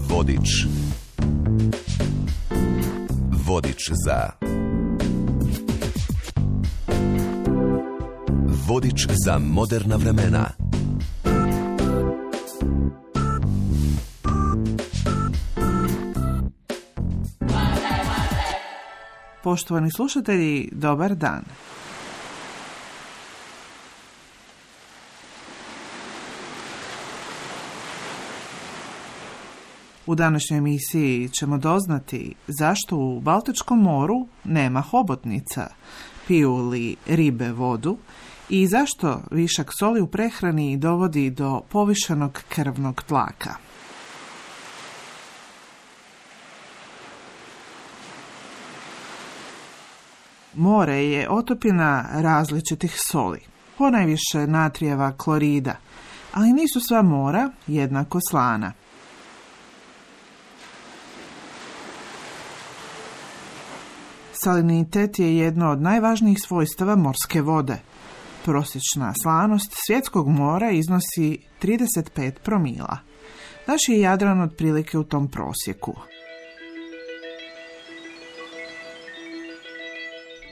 Vodič. Vodič za... Vodič za moderna vremena. Poštovani slušatelji, dobar dan. U današnjoj emisiji ćemo doznati zašto u Baltičkom moru nema hobotnica, piju li ribe vodu i zašto višak soli u prehrani dovodi do povišenog krvnog tlaka. More je otopina različitih soli, ponajviše natrijeva klorida, ali nisu sva mora jednako slana. Salinitet je jedno od najvažnijih svojstava morske vode. Prosječna slanost svjetskog mora iznosi 35 promila. Naš je Jadran otprilike u tom prosjeku.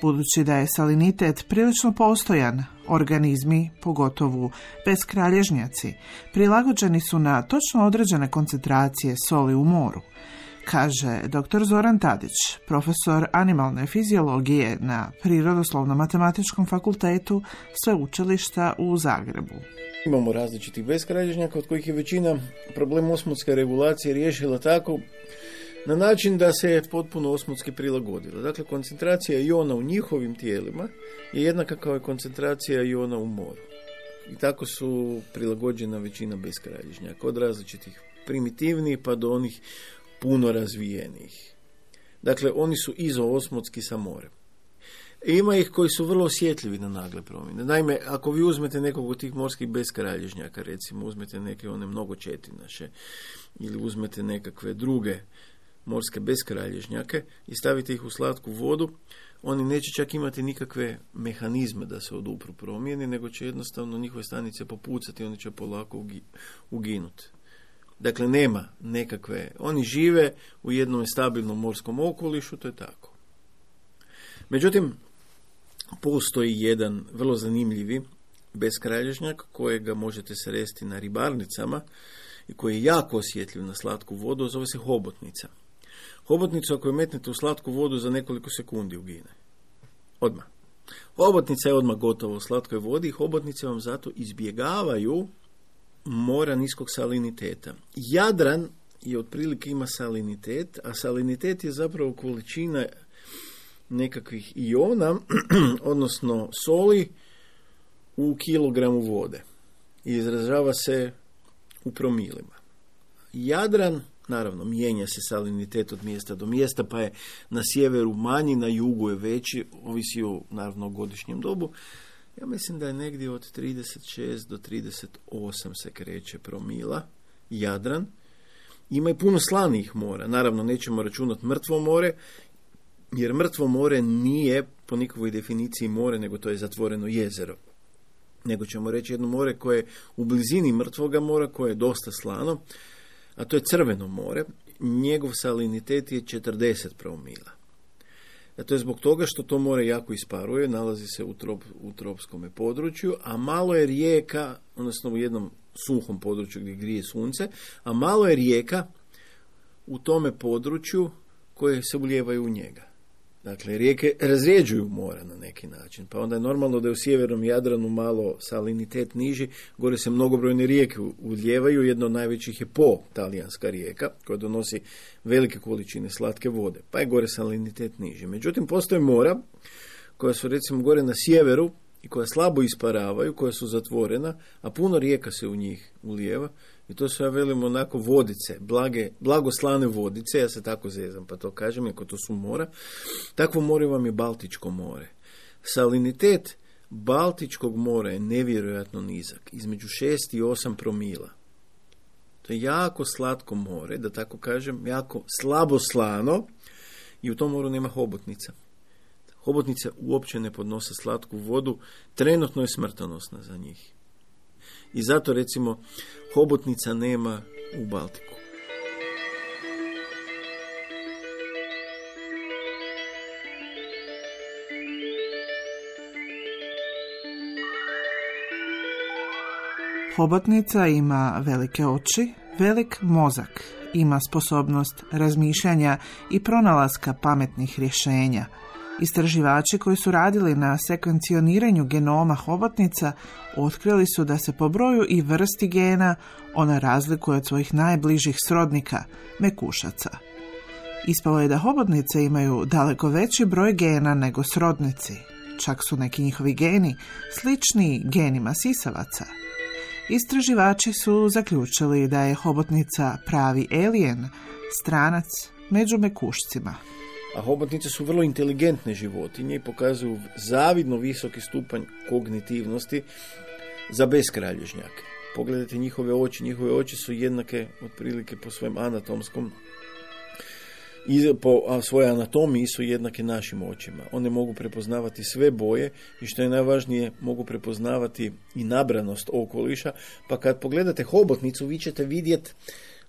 Budući da je salinitet prilično postojan, organizmi, pogotovo beskralježnjaci, prilagođeni su na točno određene koncentracije soli u moru, kaže dr. Zoran Tadić, profesor animalne fiziologije na Prirodoslovno-matematičkom fakultetu Sveučilišta u Zagrebu. Imamo različitih beskralježnjaka od kojih je većina problem osmotske regulacije riješila tako na način da se potpuno osmotski prilagodila. Dakle, koncentracija iona u njihovim tijelima je jednaka kao i koncentracija iona u moru. I tako su prilagođena većina beskralježnjaka, od različitih primitivnih pa do onih puno razvijenijih. Dakle, oni su izoosmotski sa morem. Ima ih koji su vrlo osjetljivi na nagle promjene. Naime, ako vi uzmete nekog od tih morskih beskralježnjaka, recimo uzmete neke one mnogočetinaše ili uzmete nekakve druge morske beskralježnjake i stavite ih u slatku vodu, oni neće čak imati nikakve mehanizme da se odupru promjeni, nego će jednostavno njihove stanice popucati i oni će polako uginuti. Dakle, nema nekakve, oni žive u jednom stabilnom morskom okolišu, to je tako. Međutim, postoji jedan vrlo zanimljivi beskralježnjak kojega možete sresti na ribarnicama i koji je jako osjetljiv na slatku vodu, zove se hobotnica. Hobotnicu ako je metnete u slatku vodu za nekoliko sekundi ugine. Odmah. Hobotnica je odmah gotova u slatkoj vodi i hobotnice vam zato izbjegavaju mora niskog saliniteta. Jadran je otprilike ima salinitet, a salinitet je zapravo količina nekakvih iona, odnosno soli u kilogramu vode. I izražava se u promilima. Jadran, naravno, mijenja se salinitet od mjesta do mjesta, pa je na sjeveru manji, na jugu je veći, ovisi o, naravno, godišnjem dobu. Ja mislim da je negdje od 36 do 38 se kreće promila, Jadran. Ima i puno slanijih mora. Naravno, nećemo računati mrtvo more, jer mrtvo more nije po nikakvoj definiciji more, nego to je zatvoreno jezero. Nego ćemo reći jedno more koje je u blizini mrtvoga mora, koje je dosta slano, a to je Crveno more. Njegov salinitet je 40 promila. To je zbog toga što to more jako isparuje, nalazi se u tropskom području, a malo je rijeka, odnosno u jednom suhom području gdje grije sunce, a malo je rijeka u tome području koje se ulijevaju u njega. Dakle, rijeke razrjeđuju mora na neki način, pa onda je normalno da je u sjevernom Jadranu malo salinitet niži, gore se mnogobrojne rijeke ulijevaju, jedna od najvećih je Po, talijanska rijeka, koja donosi velike količine slatke vode, pa je gore salinitet niži. Međutim, postoje mora koja su recimo gore na sjeveru i koja slabo isparavaju, koja su zatvorena, a puno rijeka se u njih ulijeva. I to su, ja velim, onako vodice, blagoslane vodice, ja se tako zezam pa to kažem, ako to su mora. Takvo more vam je Baltičko more. Salinitet Baltičkog mora je nevjerojatno nizak, između 6 i 8 promila. To je jako slatko more, da tako kažem, jako slabo slano i u tom moru nema hobotnica. Hobotnice uopće ne podnose slatku vodu, trenutno je smrtonosna za njih. I zato recimo hobotnica nema u Baltiku. Hobotnica ima velike oči, velik mozak, ima sposobnost razmišljanja i pronalaska pametnih rješenja. Istraživači koji su radili na sekvencioniranju genoma hobotnica otkrili su da se po broju i vrsti gena ona razlikuje od svojih najbližih srodnika, mekušaca. Ispalo je da hobotnice imaju daleko veći broj gena nego srodnici. Čak su neki njihovi geni slični genima sisavaca. Istraživači su zaključili da je hobotnica pravi alien, stranac među mekušcima. A hobotnice su vrlo inteligentne životinje i pokazuju zavidno visoki stupanj kognitivnosti za beskralježnjake. Pogledajte njihove oči su jednake otprilike po svojem anatomskom i po svojoj anatomiji su jednake našim očima. One mogu prepoznavati sve boje i što je najvažnije mogu prepoznavati i nabranost okoliša, pa kad pogledate hobotnicu vi ćete vidjeti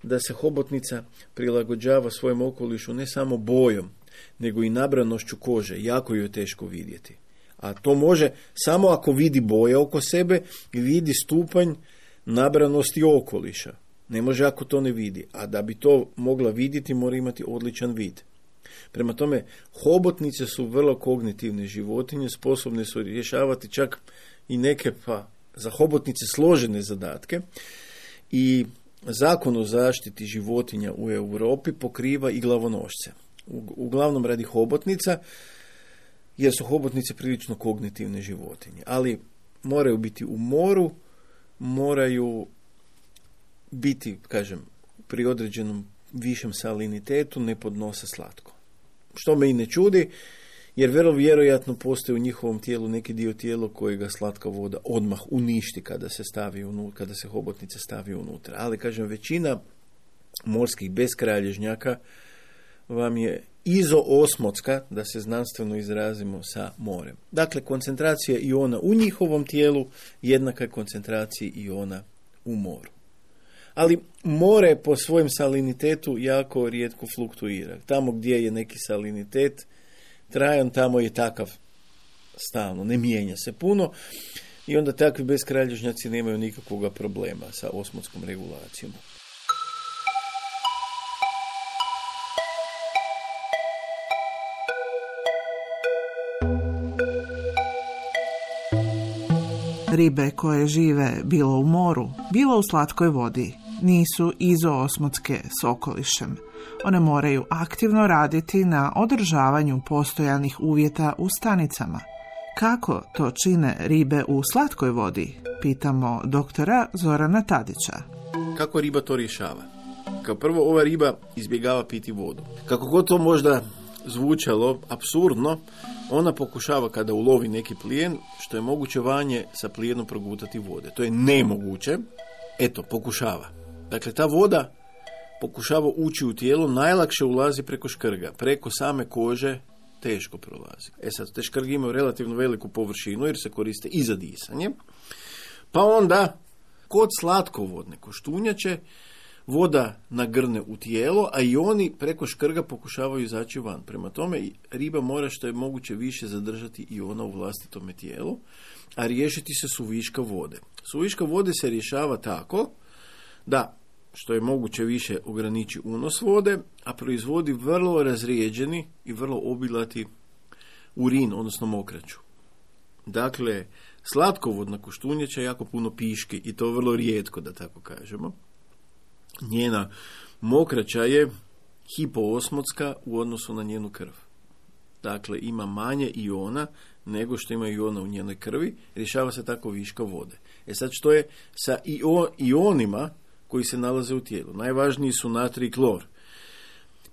da se hobotnica prilagođava svojem okolišu ne samo bojom, nego i nabranošću kože. Jako ju je teško vidjeti. A to može samo ako vidi boje oko sebe i vidi stupanj nabranosti okoliša. Ne može ako to ne vidi. A da bi to mogla vidjeti, mora imati odličan vid. Prema tome, hobotnice su vrlo kognitivne životinje, sposobne su rješavati čak i neke za hobotnice složene zadatke. I Zakon o zaštiti životinja u Europi pokriva i glavonošce. Uglavnom radi hobotnica, jer su hobotnice prilično kognitivne životinje. Ali moraju biti u moru, moraju biti, pri određenom višem salinitetu, ne podnose slatko. Što me i ne čudi, jer vrlo vjerojatno postoji u njihovom tijelu neki dio tijela kojega slatka voda odmah uništi kada se hobotnica stavi unutra. Ali, većina morskih beskralježnjaka vam je izoosmotska, da se znanstveno izrazimo, sa morem. Dakle, koncentracija iona u njihovom tijelu jednaka je koncentraciji iona u moru. Ali more po svojem salinitetu jako rijetko fluktuira. Tamo gdje je neki salinitet trajan, tamo je takav stalno, ne mijenja se puno i onda takvi beskralježnjaci nemaju nikakvog problema sa osmotskom regulacijom. Ribe koje žive bilo u moru, bilo u slatkoj vodi, nisu izoosmotske s okolišem. One moraju aktivno raditi na održavanju postojanih uvjeta u stanicama. Kako to čine ribe u slatkoj vodi? Pitamo doktora Zorana Tadića. Kako riba to rješava? Kao prvo, ova riba izbjegava piti vodu. Kako god to možda zvučalo apsurdno, ona pokušava kada ulovi neki plijen, što je moguće vanje sa plijenom progutati vode. To je nemoguće. Pokušava. Dakle, ta voda pokušava ući u tijelo, najlakše ulazi preko škrga. Preko same kože teško prolazi. Sad, te škrge imaju relativno veliku površinu jer se koriste i za disanje. Pa onda, kod slatkovodne koštunjače, voda nagrne u tijelo, a i oni preko škrga pokušavaju izaći van. Prema tome, riba mora što je moguće više zadržati i ona u vlastitome tijelu, a riješiti se suviška vode. Suviška vode se rješava tako da što je moguće više ograniči unos vode, a proizvodi vrlo razrijeđeni i vrlo obilati urin, odnosno mokraću. Dakle, slatkovodna koštunjača jako puno piški i to vrlo rijetko, da tako kažemo. Njena mokraća je hipoosmotska u odnosu na njenu krv. Dakle, ima manje iona nego što ima iona u njenoj krvi, rješava se tako viška vode. Sad, što je sa ionima koji se nalaze u tijelu? Najvažniji su natrij i klor.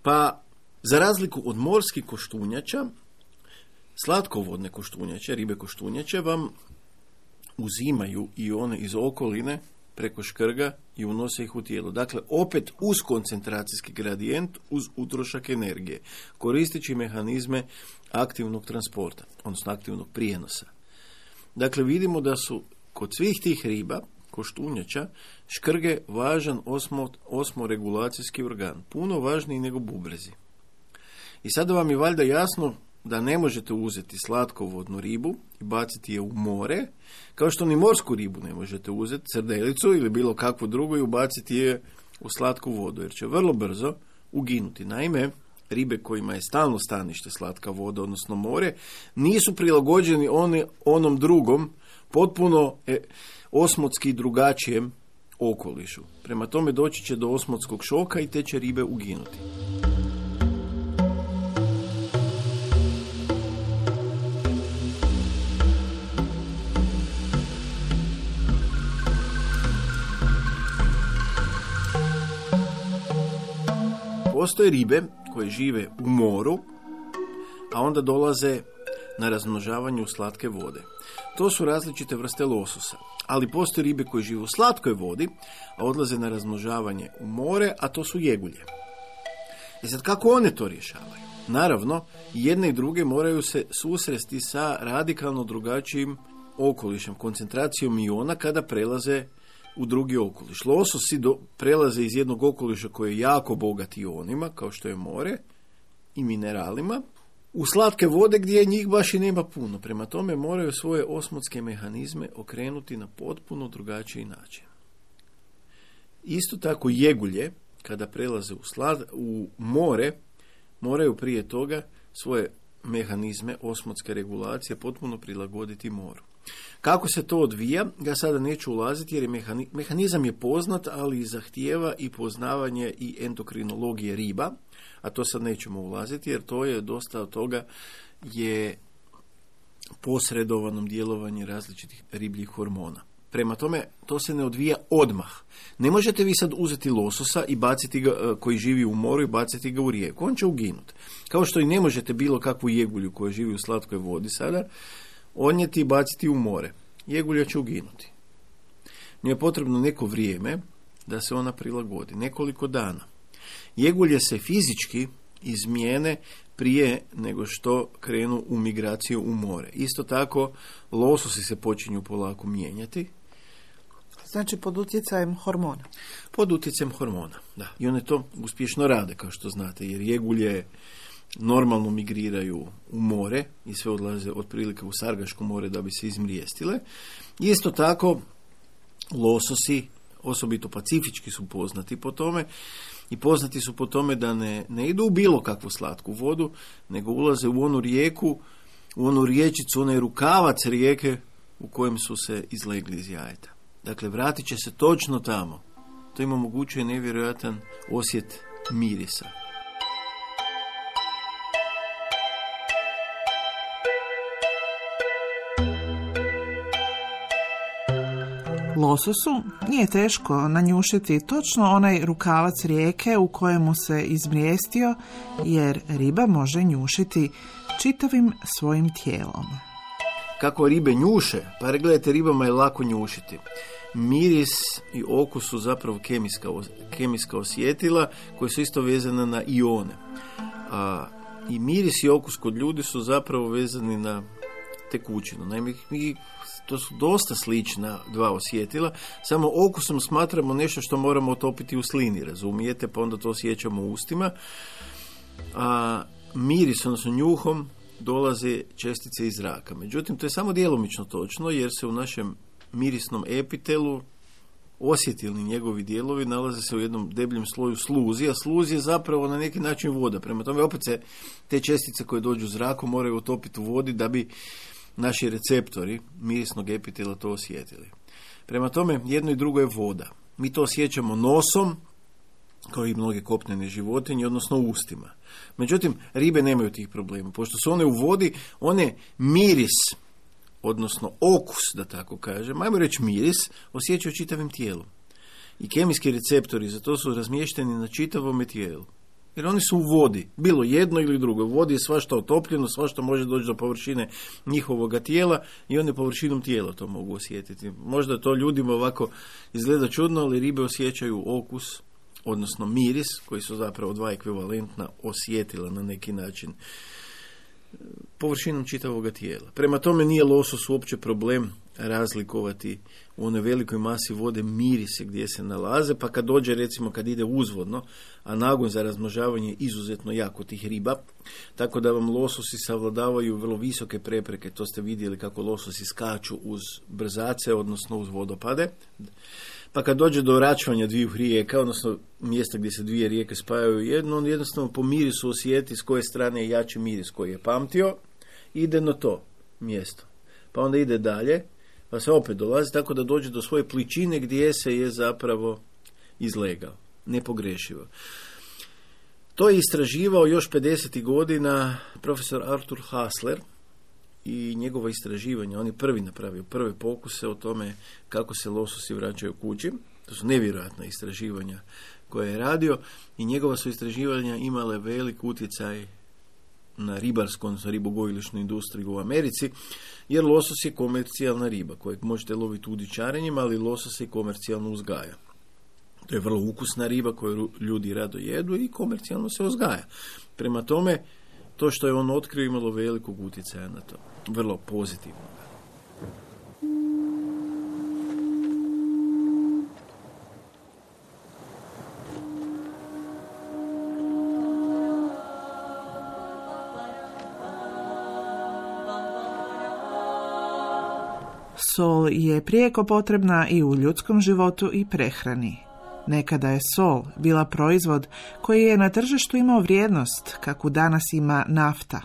Pa, za razliku od morskih koštunjača, slatkovodne koštunjače, ribe koštunjače, vam uzimaju ione iz okoline preko škrga i unose ih u tijelo. Dakle, opet uz koncentracijski gradijent, uz utrošak energije, koristeći mehanizme aktivnog transporta, odnosno aktivnog prijenosa. Dakle, vidimo da su kod svih tih riba koštunjača, škrge važan osmoregulacijski organ, puno važniji nego bubrezi. I sada vam je valjda jasno da ne možete uzeti slatkovodnu ribu i baciti je u more, kao što ni morsku ribu ne možete uzeti, srdelicu ili bilo kakvu drugu i ubaciti je u slatku vodu, jer će vrlo brzo uginuti. Naime, ribe kojima je stalno stanište slatka voda, odnosno more, nisu prilagođeni onom drugom, potpuno osmotski drugačijem okolišu. Prema tome doći će do osmotskog šoka i te će ribe uginuti. Postoje ribe koje žive u moru, a onda dolaze na razmnožavanje u slatke vode. To su različite vrste lososa, ali postoje ribe koje žive u slatkoj vodi, a odlaze na razmnožavanje u more, a to su jegulje. I sad kako one to rješavaju? Naravno, jedne i druge moraju se susresti sa radikalno drugačijim okolišem, koncentracijom iona kada prelaze u drugi okoliš. Lososi prelaze iz jednog okoliša koji je jako bogat ionima, kao što je more, i mineralima, u slatke vode gdje njih baš i nema puno. Prema tome moraju svoje osmotske mehanizme okrenuti na potpuno drugačiji način. Isto tako jegulje, kada prelaze u more, moraju prije toga svoje mehanizme osmotske regulacije potpuno prilagoditi moru. Kako se to odvija, ja sada neću ulaziti jer je mehanizam je poznat, ali zahtijeva i poznavanje i endokrinologije riba, a to sad nećemo ulaziti jer to je dosta od toga je posredovanom djelovanjem različitih ribljih hormona. Prema tome, to se ne odvija odmah. Ne možete vi sad uzeti lososa i baciti ga, koji živi u moru, i baciti ga u rijeku. On će uginuti. Kao što i ne možete bilo kakvu jegulju koja živi u slatkoj vodi sada odnijeti i baciti u more. Jegulja će uginuti. Njoj je potrebno neko vrijeme da se ona prilagodi. Nekoliko dana. Jegulje se fizički izmijene prije nego što krenu u migraciju u more. Isto tako, lososi se počinju polako mijenjati. Znači pod utjecajem hormona. Pod utjecajem hormona, da. I one to uspješno rade, kao što znate, jer jegulje normalno migriraju u more i sve odlaze otprilike u Sargaško more da bi se izmrijestile. Isto tako, lososi, osobito pacifički, su poznati po tome i poznati su po tome da ne idu u bilo kakvu slatku vodu, nego ulaze u onu rijeku, u onu riječicu, onaj rukavac rijeke u kojem su se izlegli iz jajeta. Dakle, vratit će se točno tamo. To im omogućuje nevjerojatan osjet mirisa. Lososu nije teško nanjušiti točno onaj rukavac rijeke u kojemu se izmrijestio, jer riba može njušiti čitavim svojim tijelom. Kako ribe njuše? Pa gledajte, ribama je lako njušiti. Miris i okus su zapravo kemijska osjetila koja su isto vezana na ione. I miris i okus kod ljudi su zapravo vezani na tekućinu. Naime, to su dosta slična dva osjetila, samo okusom smatramo nešto što moramo otopiti u slini, razumijete, pa onda to osjećamo u ustima. A miris, odnosno njuhom, dolaze čestice iz zraka. Međutim, to je samo djelomično točno, jer se u našem mirisnom epitelu osjetilni njegovi dijelovi nalaze se u jednom debljem sloju sluzi, a sluz je zapravo na neki način voda. Prema tome, opet se te čestice koje dođu u zraku moraju otopiti u vodi da bi naši receptori mirisnog epitela to osjetili. Prema tome, jedno i drugo je voda. Mi to osjećamo nosom, kao i mnoge kopnene životinje, odnosno ustima. Međutim, ribe nemaju tih problema. Pošto su one u vodi, one miris, odnosno okus, da tako kažem, ajmo reći miris, osjećaju čitavim tijelom. I kemijski receptori za to su razmješteni na čitavom tijelu. Jer oni su u vodi, bilo jedno ili drugo. U vodi je svašta otopljeno, svašta može doći do površine njihovoga tijela i one površinom tijela to mogu osjetiti. Možda to ljudima ovako izgleda čudno, ali ribe osjećaju okus, odnosno miris, koji su zapravo dva ekvivalentna osjetila na neki način površinom čitavoga tijela. Prema tome nije losos uopće problem razlikovati u onoj velikoj masi vode mirise gdje se nalaze, pa kad dođe, recimo kad ide uzvodno, a nagon za razmnožavanje je izuzetno jako tih riba, tako da vam lososi savladavaju vrlo visoke prepreke, to ste vidjeli kako lososi skaču uz brzace, odnosno uz vodopade. Pa kad dođe do račvanja dviju rijeka, odnosno mjesta gdje se dvije rijeke spajaju u jednu, on jednostavno po mirisu osjeti s koje strane je jači miris koji je pamtio, ide na to mjesto. Pa onda ide dalje, pa se opet dolazi tako da dođe do svoje pličine gdje se je zapravo izlegao. Nepogrešivo. To je istraživao još 50. godina profesor Arthur Hasler i njegova istraživanja. On je prvi napravio prve pokuse o tome kako se lososi vraćaju kući. To su nevjerojatna istraživanja koje je radio i njegova su istraživanja imale velik utjecaj na ribarsku, odnosno ribogojilišnu industriju u Americi, jer losos je komercijalna riba kojeg možete loviti udičarenjem, ali losos se komercijalno uzgaja. To je vrlo ukusna riba koju ljudi rado jedu i komercijalno se uzgaja. Prema tome, to što je on otkrio imalo velikog utjecaja na to. Vrlo pozitivno. Sol je prijeko potrebna i u ljudskom životu i prehrani. Nekada je sol bila proizvod koji je na tržištu imao vrijednost, kakvu danas ima nafta.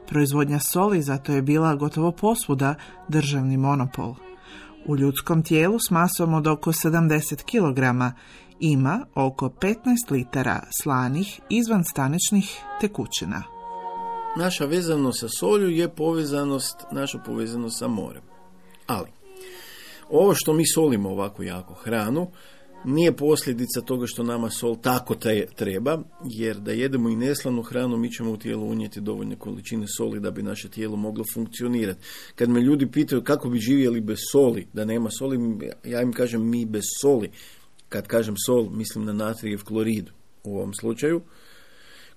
Proizvodnja soli zato je bila gotovo posvuda državni monopol. U ljudskom tijelu s masom od oko 70 kg ima oko 15 litara slanih izvanstaničnih tekućina. Naša vezanost sa solju je naša povezanost sa morem. Ali, ovo što mi solimo ovako jako hranu, nije posljedica toga što nama sol tako treba, jer da jedemo i neslanu hranu, mi ćemo u tijelo unijeti dovoljne količine soli da bi naše tijelo moglo funkcionirati. Kad me ljudi pitaju kako bi živjeli bez soli, da nema soli, ja im kažem mi bez soli. Kad kažem sol, mislim na natrijev klorid u ovom slučaju,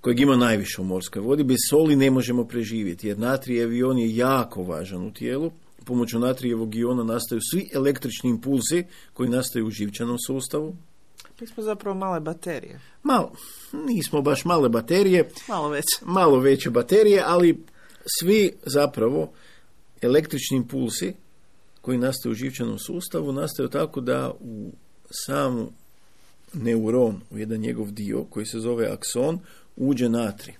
kojeg ima najviše u morskoj vodi. Bez soli ne možemo preživjeti, jer natrijev ion je jako važan u tijelu. Pomoću natrijevog iona nastaju svi električni impulsi koji nastaju u živčanom sustavu. Mi smo zapravo male baterije. Nismo baš male baterije. Malo veće baterije, ali svi zapravo električni impulsi koji nastaju u živčanom sustavu nastaju tako da u samu neuron, u jedan njegov dio koji se zove akson, uđe natrij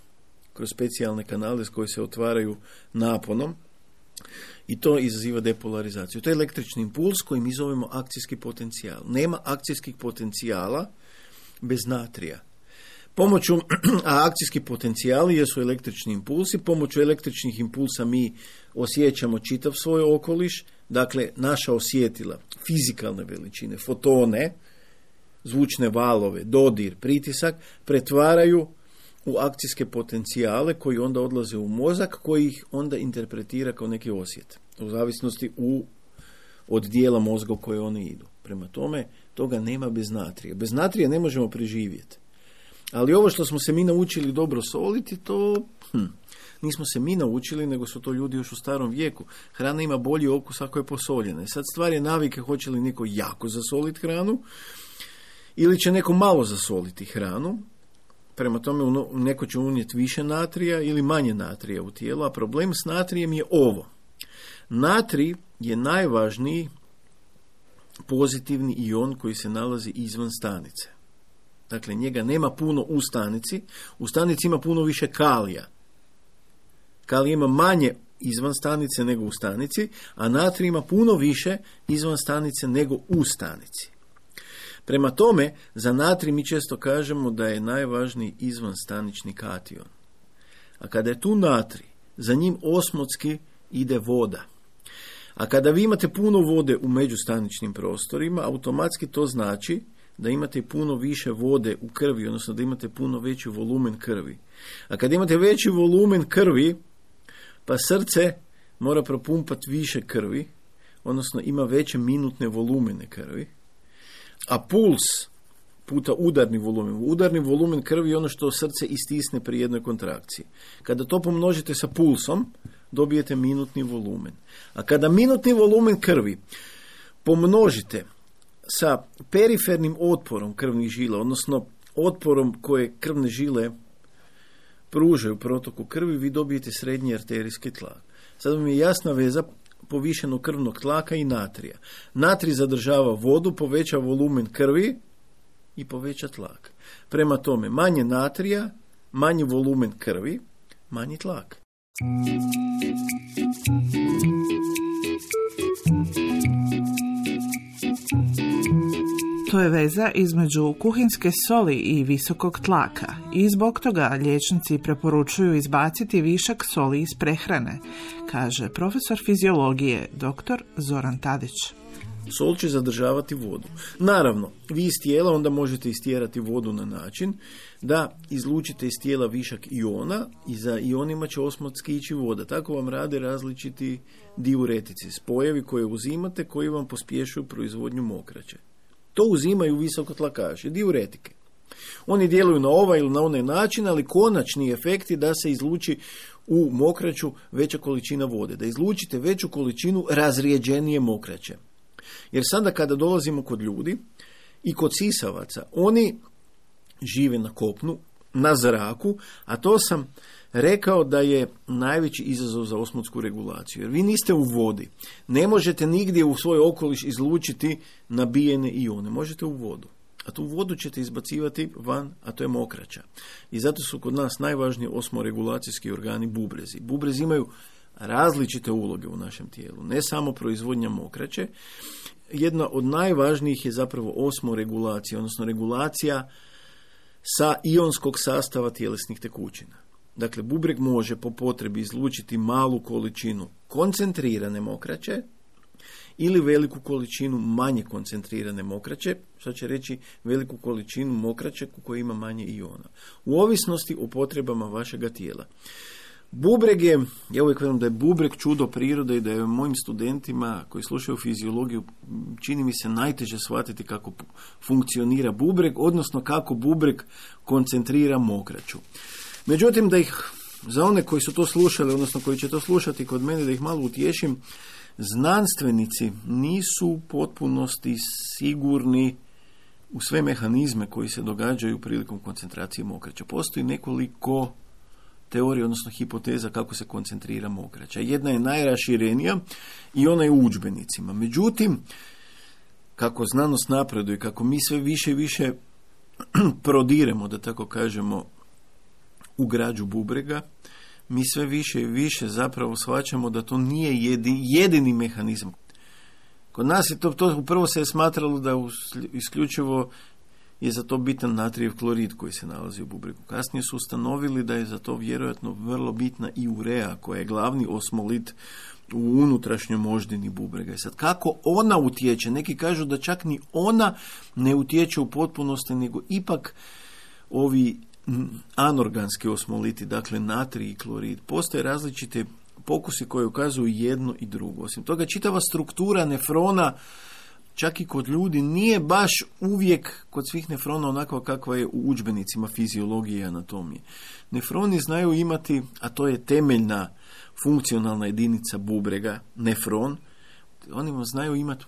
kroz specijalne kanale koji se otvaraju naponom. I to izaziva depolarizaciju. To je električni impuls koji mi zovemo akcijski potencijal. Nema akcijskih potencijala bez natrija. A akcijski potencijali jesu električni impulsi. Pomoću električnih impulsa mi osjećamo čitav svoj okoliš. Dakle, naša osjetila, fizikalne veličine, fotone, zvučne valove, dodir, pritisak, pretvaraju u akcijske potencijale koji onda odlaze u mozak, koji ih onda interpretira kao neki osjet. U zavisnosti od dijela mozga u koje one idu. Prema tome, toga nema bez natrija. Bez natrija ne možemo preživjeti. Ali ovo što smo se mi naučili dobro soliti, to nismo se mi naučili, nego su to ljudi još u starom vijeku. Hrana ima bolji okus ako je posoljena. Sad stvar je navike, hoće li neko jako zasoliti hranu ili će neko malo zasoliti hranu. Prema tome, neko će unijeti više natrija ili manje natrija u tijelo, a problem s natrijem je ovo. Natrij je najvažniji pozitivni ion koji se nalazi izvan stanice. Dakle, njega nema puno u stanici. U stanici ima puno više kalija. Kalij ima manje izvan stanice nego u stanici, a natrij ima puno više izvan stanice nego u stanici. Prema tome, za natrij mi često kažemo da je najvažniji izvanstanični kation. A kada je tu natrij, za njim osmotski ide voda. A kada vi imate puno vode u međustaničnim prostorima, automatski to znači da imate puno više vode u krvi, odnosno da imate puno veći volumen krvi. A kad imate veći volumen krvi, pa srce mora propumpati više krvi, odnosno ima veće minutne volumene krvi, a puls puta udarni volumen. Udarni volumen krvi je ono što srce istisne pri jednoj kontrakciji. Kada to pomnožite sa pulsom, dobijete minutni volumen. A kada minutni volumen krvi pomnožite sa perifernim otporom krvnih žila, odnosno otporom koje krvne žile pružaju protoku krvi, vi dobijete srednji arterijski tlak. Sad vam je jasna veza povišenog krvnog tlaka i natrija. Natrij zadržava vodu, poveća volumen krvi i poveća tlak. Prema tome, manje natrija, manji volumen krvi, manji tlak. To je veza između kuhinske soli i visokog tlaka i zbog toga liječnici preporučuju izbaciti višak soli iz prehrane, kaže profesor fiziologije dr. Zoran Tadić. Sol će zadržavati vodu. Naravno, vi iz tijela onda možete istjerati vodu na način da izlučite iz tijela višak iona i za ionima će osmotski ići voda. Tako vam rade različiti diuretici, spojevi koje uzimate koji vam pospješuju proizvodnju mokraće. To uzimaju visokotlakaši, diuretike. Oni djeluju na ovaj ili na onaj način, ali konačni efekt je da se izluči u mokraću veća količina vode, da izlučite veću količinu razrijeđenije mokraće. Jer sada kada dolazimo kod ljudi i kod sisavaca, oni žive na kopnu, na zraku, a to sam rekao da je najveći izazov za osmotsku regulaciju. Jer vi niste u vodi. Ne možete nigdje u svoj okoliš izlučiti nabijene ione. Možete u vodu. A tu vodu ćete izbacivati van, a to je mokraća. I zato su kod nas najvažniji osmoregulacijski organi bubrezi. Bubrezi imaju različite uloge u našem tijelu. Ne samo proizvodnja mokraće. Jedna od najvažnijih je zapravo osmoregulacija, odnosno regulacija sa ionskog sastava tjelesnih tekućina. Dakle, bubreg može po potrebi izlučiti malu količinu koncentrirane mokraće ili veliku količinu manje koncentrirane mokraće, što će reći veliku količinu mokraće u kojoj ima manje iona. U ovisnosti o potrebama vašega tijela. Bubreg je, ja uvijek velim da je bubreg čudo prirode i da je mojim studentima koji slušaju fiziologiju čini mi se najteže shvatiti kako funkcionira bubreg, odnosno kako bubreg koncentrira mokraću. Međutim, da ih, za one koji su to slušali, odnosno koji će to slušati kod mene, da ih malo utješim, znanstvenici nisu u potpunosti sigurni u sve mehanizme koji se događaju prilikom koncentracije mokraća. Postoji nekoliko teorija, odnosno hipoteza kako se koncentrira mokraća. Jedna je najraširenija i ona je u udžbenicima. Međutim, kako znanost napreduje, kako mi sve više i više prodiremo, da tako kažemo, u građu bubrega, mi sve više i više zapravo shvaćamo da to nije jedini mehanizam. Kod nas je to upravo se je smatralo da isključivo je za to bitan natrijev klorid koji se nalazi u bubregu. Kasnije su ustanovili da je za to vjerojatno vrlo bitna i urea, koja je glavni osmolit u unutrašnjoj moždini bubrega. I sad, kako ona utječe? Neki kažu da čak ni ona ne utječe u potpunosti, nego ipak ovi anorganski osmoliti, dakle natrij i klorid. Postoje različite pokusi koji ukazuju jedno i drugo. Osim toga, čitava struktura nefrona, čak i kod ljudi, nije baš uvijek kod svih nefrona onako kakva je u udžbenicima fiziologije i anatomije. Nefroni znaju imati, a to je temeljna funkcionalna jedinica bubrega, nefron, oni znaju imati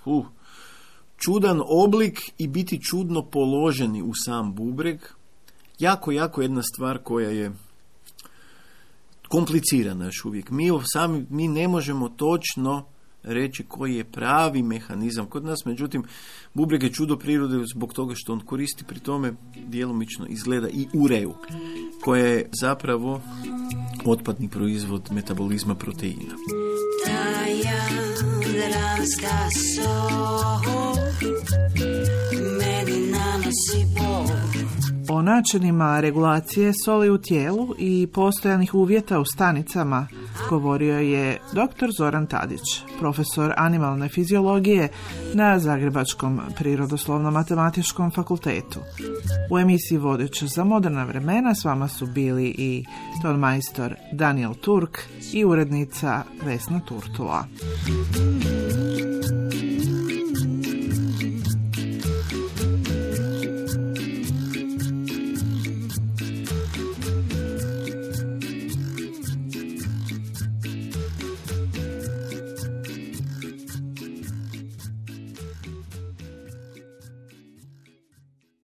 čudan oblik i biti čudno položeni u sam bubreg. Jako jedna stvar koja je komplicirana još uvijek. Mi ne možemo točno reći koji je pravi mehanizam kod nas, međutim, bubreg je čudo prirode zbog toga što on koristi pri tome djelomično izgleda i ureju, koja je zapravo otpadni proizvod metabolizma proteina. O načinima regulacije soli u tijelu i postojanih uvjeta u stanicama govorio je dr. Zoran Tadić, profesor animalne fiziologije na Zagrebačkom prirodoslovno-matematičkom fakultetu. U emisiji Vodič za moderna vremena s vama su bili i tonmajstor Daniel Turk i urednica Vesna Turtula.